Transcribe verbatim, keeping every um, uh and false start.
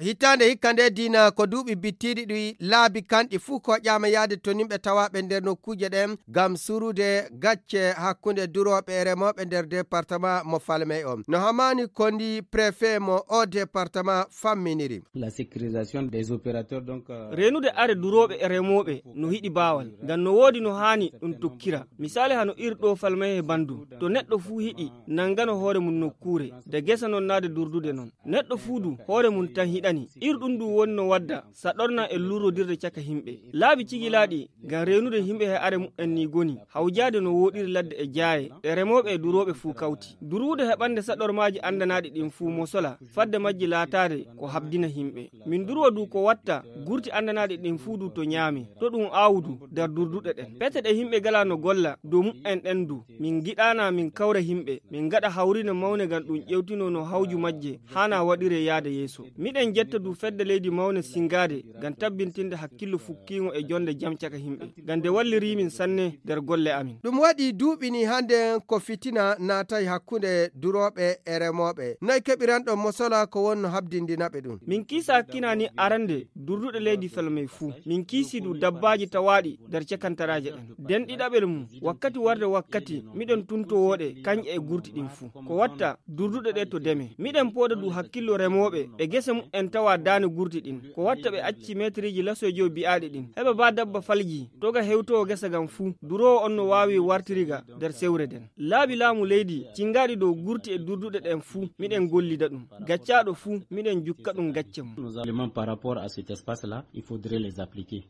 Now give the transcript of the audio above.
Hitaande hikka nde diina ko duuɓi bittiiɗi ɗi laabi kanɗi fuu koƴaama yahde to nimɓe tawaaɓe nder nokkuuje ɗen ngam surude gacce hakkunde durooɓe e remooɓe nder departement mo Falmey on. No Hamani Kondi, préfet mo o departement famminiri. La sécurisation des opérateurs, donc, euh, reenude are durooɓe e remooɓe no hiɗi baawal, ngam no woodi no haani ɗum tokkira. Misaali hano ir ɗo Falmey e Bandu, to neɗɗo fuu hiɗi nangano hoore mum nokkuure, de gesa non naade durdude non. Neɗɗo fuu du hoore mum tan hiɗani. Ir ɗum du woni no wadda saɗorna e lurrodirde caka himɓe. Laabi cigilaaɗi ngam reenude himɓe he are mu'en ni goni, hawjaade no wooɗiri ladde e jaaye, ɗe remooɓe e durooɓe fuu kawti. Duruwude heɓande saɗormaaji andanaaɗi ɗin fuu mosola, fadde majji laataade ko habdina himɓe. Min durwa du ko watta gurti andanaaɗi ɗin fuu du to ñaame, to ɗum aawudu nder durduɗe ɗen. Pete ɗe himɓe gala no golla dow mu'en ɗen du, min giɗaana min kawra himɓe, min gaɗa hawrine mawne ngam ɗum ƴewtino no hawju majje haana waɗire yaada yeeso. Miɗen jetta du fedde leydi mawne singaade ngam tabbintinde hakkillo fukkiingo e jonde jam caka himɓe, ngam nde walliri min sanne nder golle amin. Ɗum waɗi duuɓi ni hande ko fitina naatay hakkunde durooɓe e remooɓe. Noy keɓiranɗon mosola ko wonno habdindinaɓe ɗum? Min kiisa hakkina ni arande durduɗe leydi Falmey fuu. Min kiisi du dabbaaji tawaaɗi nder cakantaraaje ɗen. Den ɗiɗaɓel mum, wakkati warde wakkati, miɗen tuntowoo ɗe, kanƴe e gurti ɗin fuu. Ko watta durduɗe ɗe to deme. Miɗen pooda du hakkillo remooɓe e gese mu'en tawa daane gurti ɗin. Ko watta ɓe acci meetiriji lasoy jow bi'aaɗi ɗin. Heɓa ba dabba falji, toga hewtowo gesa gam fuu, duroowo on no waawi wartiriga nder sewre den. Laabi laamu leydi, cingaaɗi dow gurti e durduɗe ɗen fuu, miɗen gollida ɗum. Gaccaaɗo fuu, miɗen jukka ɗum gacce mum. Nos éléments par rapport à cet espace-là, il faudrait les appliquer.